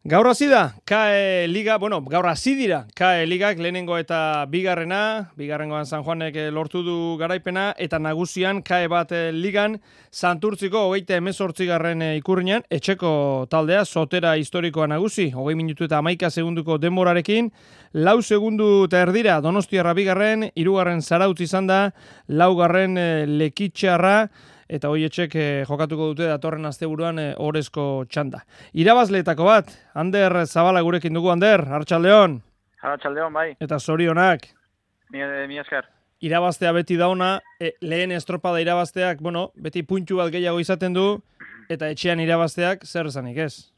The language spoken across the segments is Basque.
Gaur hasi da, KAE Liga, gaur hasi dira, KAE Ligak lehenengo eta bigarrengoan San Juanek lortu du garaipena, eta nagusian KAE bat Ligan, Santurtziko 38. Ikurriñan, etxeko taldea, Sotera historikoa nagusi, 20 minutu eta 11 segunduko denborarekin, 4 segundu eta erdira, Donostiarra bigarren, 3. Zarautz izan da, 4. Lekitxarra, eta hoietxek jokatuko dute datorren asteburuan orezko txanda. Irabazleetako bat, Ander Zabala gurekin dugu. Ander, Arratsaldeon. Arratsaldeon, bai. Eta zorionak. Mi esker. Irabaztea beti dauna, lehen estropada irabazteak, beti puntu bat gehiago izaten du, eta etxean irabazteak zer esanik ez?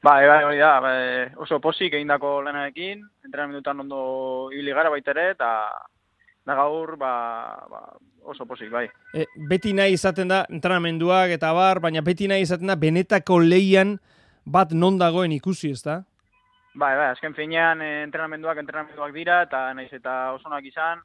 Bai, hori da, oso posik egindako lanarekin, entrenamendutan ondo ibili gara baita ere, eta gaur, oso posik, bai. Beti nahi izaten da entrenamenduak eta baina beti nahi izaten da benetako lehian bat non dagoen ikusi, ez da? Bai, azken finean entrenamenduak dira, eta nahiz eta osonak izan,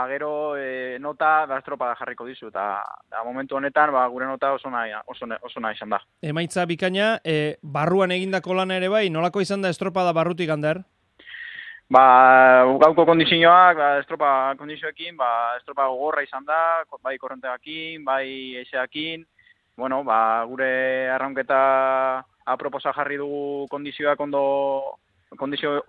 gero nota estropada jarriko dizu, eta momentu honetan gure nota osona izan da. Emaitza bikaina, barruan egindako lana ere bai, nolako izan da estropada barrutik, Ander? Gauko kondizioak, estropa kondizioekin, estropa gogorra izan da, bai korronteakin, bai eiseakin, gure arraunketa aproposa jarri dugu kondizio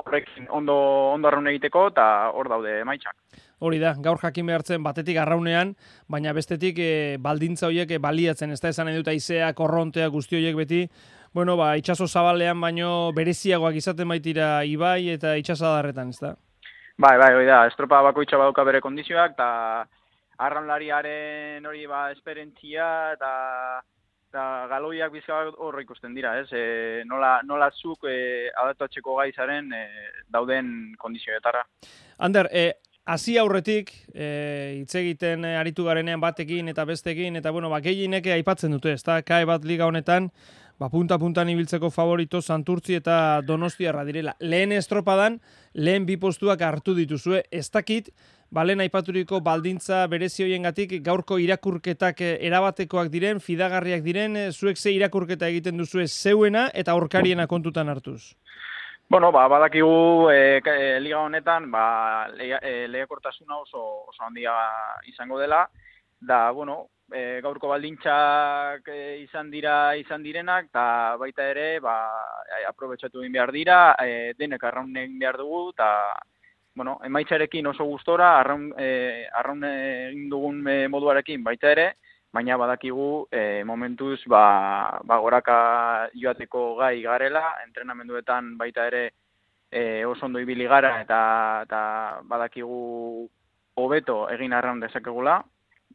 horrekin ondo arraun egiteko, eta hor daude emaitzak. Hori da, gaur jakin behartzen batetik arraunean, baina bestetik baldintza horiek baliatzen, ez da esan edut aizea, korrontea, guzti horiek beti, itxaso zabalean baino bereziagoak izaten baitira ibai eta itxasadarretan, ez da? Bai, hori da, estropa bakoitza badauka bere kondizioak, eta arraunlariaren hori esperientzia eta galoiak bizkabak hor ikusten dira, ez? Nola zuk adaptatzeko gai zaren dauden kondizioetara. Ander, hasi aurretik, hitz egiten aritu garenean batekin eta bestekin, eta gehienek aipatzen dute, ez da? KAE bat liga honetan, punta-puntan ibiltzeko favorito Santurtzi eta Donostiarra direla. Lehen estropadan, lehen bi postuak hartu dituzue, ez dakit, lehen aipaturiko baldintza berezi hoiengatik gaurko irakurketak erabatekoak diren, fidagarriak diren, zuek ze irakurketa egiten duzue zeuena eta aurkariena kontutan hartuz? Badakigu liga honetan lehiakortasuna oso handia izango dela, da, gaurko baldintzak izan direnak, eta baita ere, aprobetxatu egin behar dira, denek arraun egin behar dugu, eta, emaitzarekin oso gustora, arraun egin dugun moduarekin baita ere, baina badakigu momentuz goraka joateko gai garela, entrenamenduetan baita ere oso ondo ibili gara, eta badakigu hobeto egin arraun dezakegula,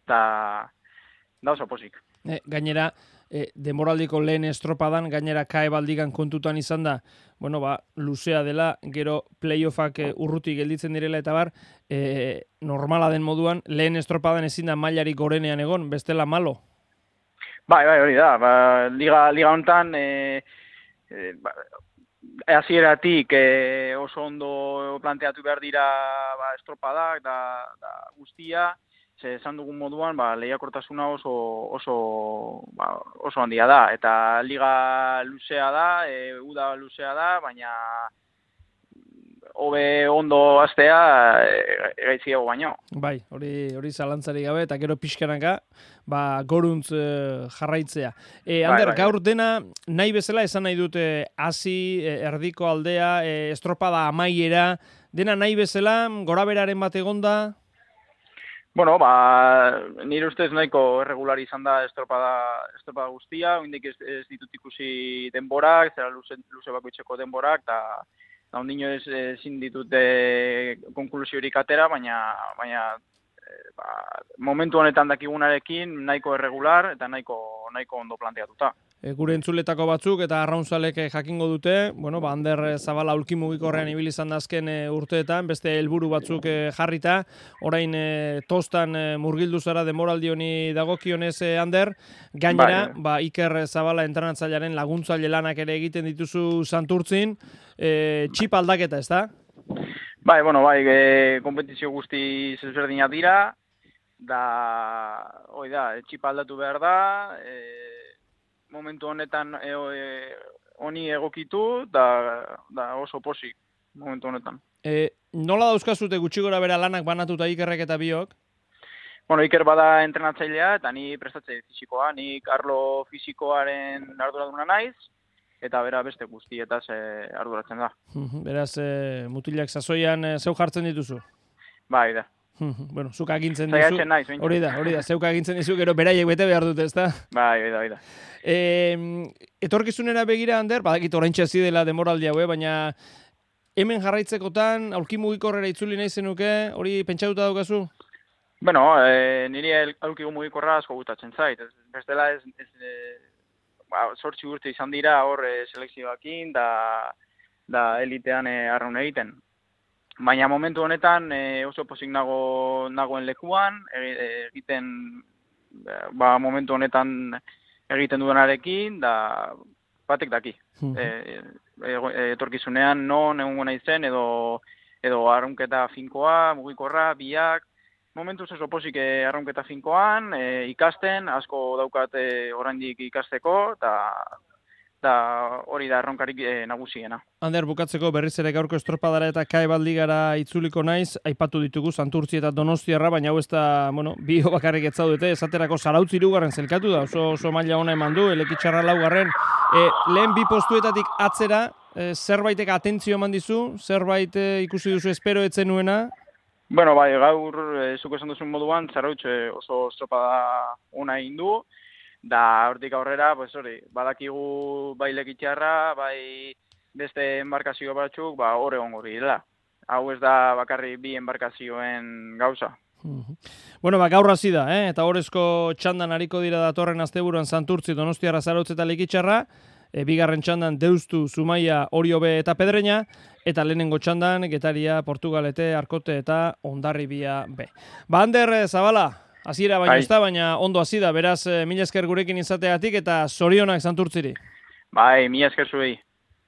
eta da oso posik. Gainera, denboraldiko lehen estropadan, gainera KAE baldigan kontutan izan da, luzea dela, gero playoffak urruti gelditzen direla eta normala den moduan, lehen estropadan ezin da mailari gorenean egon, bestela malo? Bai, hori da. Liga honetan, hasieratik oso ondo planteatu behar dira estropadak da guztia, esan dugun moduan, lehiakortasuna oso handia da, eta liga luzea da, uda luzea da, baina hobe ondo hastea gaitziago baino. Bai, hori zalantzari gabe, eta gero pixkanaka, goruntz jarraitzea. Ander, gaur dena nahi bezala esan nahi dute hasi, erdiko aldea, estropada amaiera, dena nahi bezala, goraberaren bat egonda? Nire ustez nahiko irregular izan da estropada guztia, oindik ez ditut ikusi denborak, zera luze bakoitzeko denborak, eta ondino ezin ditut konklusiorik atera, baina momentu honetan dakigunarekin nahiko irregular eta nahiko ondo planteatuta. Gure entzuletako batzuk eta arraunzalek jakingo dute, Ander Zabala aulki mugikorrean ibili izan da azken urteetan, beste helburu batzuk jarrita, orain tostan murgildu zara denboraldi honi dagokionez, Ander, gainera, Iker Zabala entrenatzailearen laguntzaile lanak ere egiten dituzu Santurtzin, txip aldaketa, ez da? Kompetizio guzti ezberdinak dira, txip aldatu behar da, momentu honetan honi egokitu, da oso posik momentu honetan. Nola dauzkazute gutxi gora bera lanak banatuta Ikerrek eta biok? Bueno, Iker bada entrenatzailea, eta ni prestatzaile fisikoa, nik arlo fisikoaren arduraduna naiz, eta bera beste guztietaz arduratzen da. Beraz, mutilak sasoian zeu jartzen dituzu? Bai, da. Bueno, zuk agintzen dizu. Zaiatzen naiz, Hori da, zeuk agintzen dizu, gero beraiek bete behar dute, ezta? Bai, da. Etorkizunera begira, Ander, badakit oraintxe hasi dela demoraldi hau, baina hemen jarraitzekotan, aulki mugikorrera itzuli nahi zenuke, hori pentsatuta daukazu? Bueno, niri aulki mugikorra asko gustatzen zait. Bestela zortzi urte izan dira hor selekzioakin, da elitean arraun egiten. Baina momentu honetan oso pozik nagoen lekuan, egiten momentu honetan egiten duenarekin, da batek daki. Etorkizunean non egongo naizen edo arraunketa finkoa, mugikorra, biak. Momentuz oso pozik arraunketa finkoan, ikasten, asko daukat oraindik ikasteko, eta hori da erronkarik nagusiena. Ander, bukatzeko berriz ere gaurko estropadara eta kae bat ligara itzuliko naiz, aipatu ditugu Santurtzi eta Donostiarra, baina hau ez da, bi bakarrik ez zaudete, esaterako Zarautz 3. zelkatu da, oso maila ona eman du, Elekitxarra 4. Lehen 2 postuetatik atzera, zerbaitek atentzio eman dizu, zerbait ikusi duzu espero etzen nuena? Bueno, bai, gaur, zuk esan duzun moduan, Zarautz oso estropada ona egin du, da hortik aurrera, badakigu bai Lekitxarra, bai beste enbarkazio batzuk, hor egongo direla. Hau ez da bakarrik 2 enbarkazioen gauza. Bueno, gaur hasi da, eta horrezko txandan hariko dira datorren asteburuan Santurtzi, Donostiarra, Zarautz eta Lekitxarra, bigarren txandan Deustu, Zumaia, Oriobe eta Pedreña, eta lehenengo txandan Getaria, Portugalete, Arkote eta Hondarribia B. Ander Zabala, hasiera baino ez da, baina ondo hasi da, beraz, mila esker gurekin izateagatik eta zorionak Santurtziri. Bai, mila esker zuei.